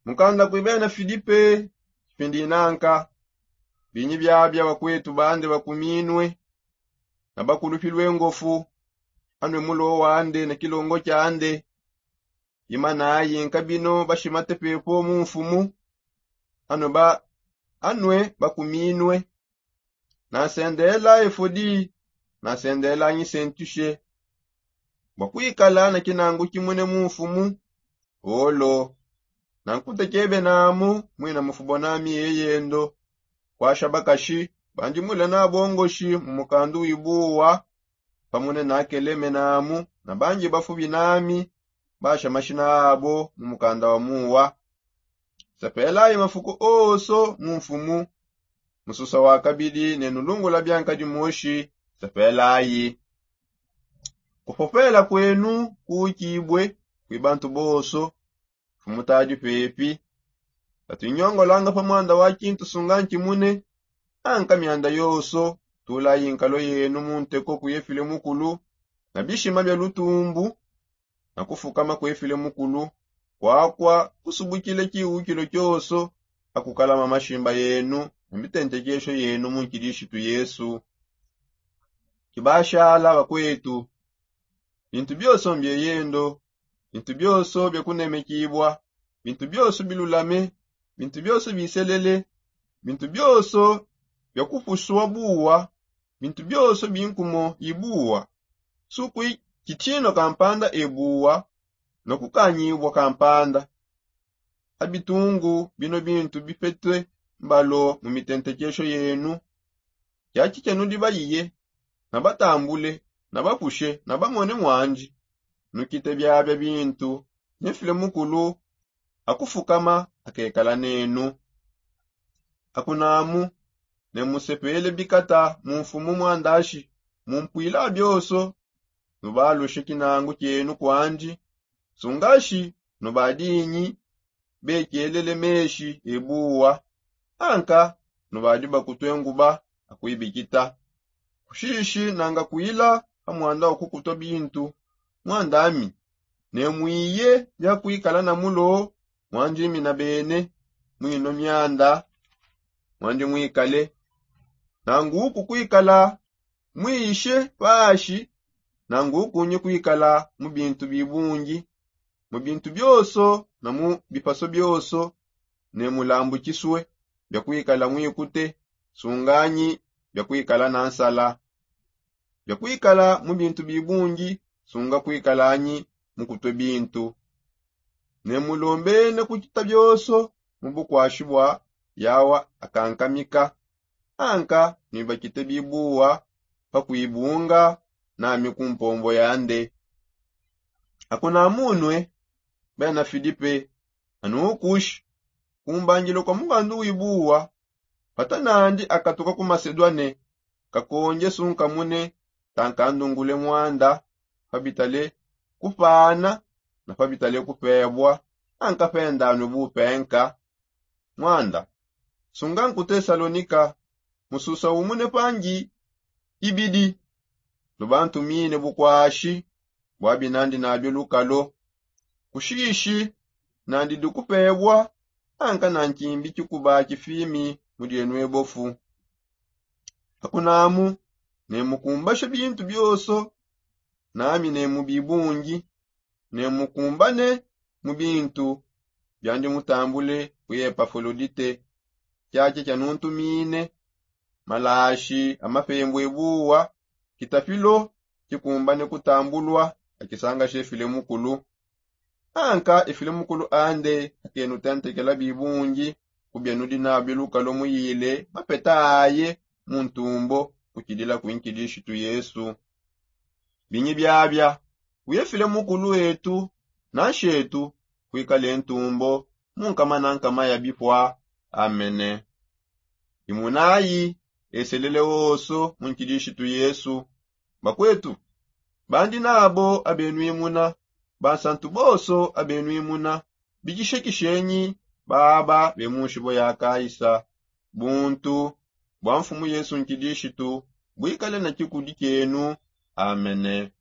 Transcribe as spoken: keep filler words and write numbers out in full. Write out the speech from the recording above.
Mukanda kui bena filipe. Kipindi nanka binyi biabia bakwetu bande bakuminue na bakulupi lwengofu, anue mulo wande na kilongo kiande. Imanayi nkabino bashimate pepo mu mfumu. Anue ba anue bakuminue. Nansendela efodi, nansendela nyisentushe bua kuikala na kinangu kimune mu mfumu. Olo nankutekebe namu muina mufubo nami yeyendo. Kuasha bakashi bandi mule nabongoshi mu mukandu wibuwa pamune nakeleme namu na bangi bafubi nami basha mashina abo mu mukanda wa muwa. Sepelayi mafuku oso mu mfumu. Mususa wa kabidi ne nulungula bianka dimoshi. Sepelayi. Kupopela kwenu kuukibue kui bantu bonso. Mfumu tadi pepi. Tatuinyongolanga pa mwanda wa kintu sunga nkimune. Anka mianda yonso tulayi nkalo yenu mu nteko kuye file mukulu na bishima bia lutumbu na kufukama kuye file mukulu. Kuakua kusubukile kiwukilo kionso akukalama mashimba yenu na mitentekesho yenu mu nkidishitu yesu. Kibashala bakwetu. Bintu bionso mbieyendo, bintu bionso bia kunemekibua, bintu bionso bilulame, bintu bionso biselele, bintu bionso bia kupusua buwa, bintu bionso binkumo ibuwa. Sukui kitino kampanda ebuwa na kukanyibua kampanda. Abitungu bino bintu bipetue mbalo mu mitentekesho yenu. Kiaki kianudi bayiye na batambule na bapushe na bamone mwandi. Nukite biabia bintu ne file mukulu akufukama akekala nenu. Akunamu ne musepele bikata mu mfumu mwandashi. Mumpuila bionso nubalushe kinangu kienu kuandi. Sungashi nubadinyi bekielele meshi ebuwa anka nubadi bakutue nguba akuibikita. Kushishi nanga kuila pa mwanda wa kukutua bintu mwandami ne muiye bia kuikala na mulo mwandimi na bene. Muino mianda mwandi muikale nanguku kuikala muishe pashi nangu kunyi kuikala mu bintu bibungi mu bintu bionso na mu bipaso bionso. Ne mulambukisue bia kuikala muikute sunganyi bia kuikala na nsala bia kuikala mu bintu bibungi sunga kuikalanyi mukutue bintu. Ne mulombene kukita bionso mu bukuashi bua yawa akankamika anka nuibakite bibuwa pa kuibunga nami ku mpombo yande. Akunamunue bena filipe anu kushi kumbangila kua mukandu wibuwa. Pata nandi akatuka ku masedua ne kakonje sunkamune tankandungule mwanda pabitale kupana na pabitale kupebua anka pendanue bupenka. Mwanda sunga ku tesalonika mususa umune pangi ibidi. Lubantumine bukuashi bua binandi nabio lukalo kushishi nandi dikupebua anka na nkimbi kikuba kifimi mu dienue bofu. Akunamu ne mukumbashe bintu bionso nami ne mu bibungi ne mukumbane mu bintu biandi mutambule ku epafolodite. Kiaki kianuntumine malashi a mapembu ebuwa kitapilo kikumbane kutambulua akisanga she file mukulu anka efile mukulu ande akenutentekela bibungi ku bianudi nabio lukalo muyile mapeta aye mu ntumbo kukidila ku nkidishitu yesu. Binyi biabia kuye file mukulu etu na nshetu kuikale ntumbo mu nkama na nkama ya bipua. Amene. Imunayi eselele wonso mu nkidishitu yesu. Bakwetu bandi nabo abenuimuna bansantu bonso abenuimuna bikishekishenyi baba be mu nshibo ya kaisa. Buntu bua mfumu yesu nkidishitu buikale ne kikudi kienu. Amene.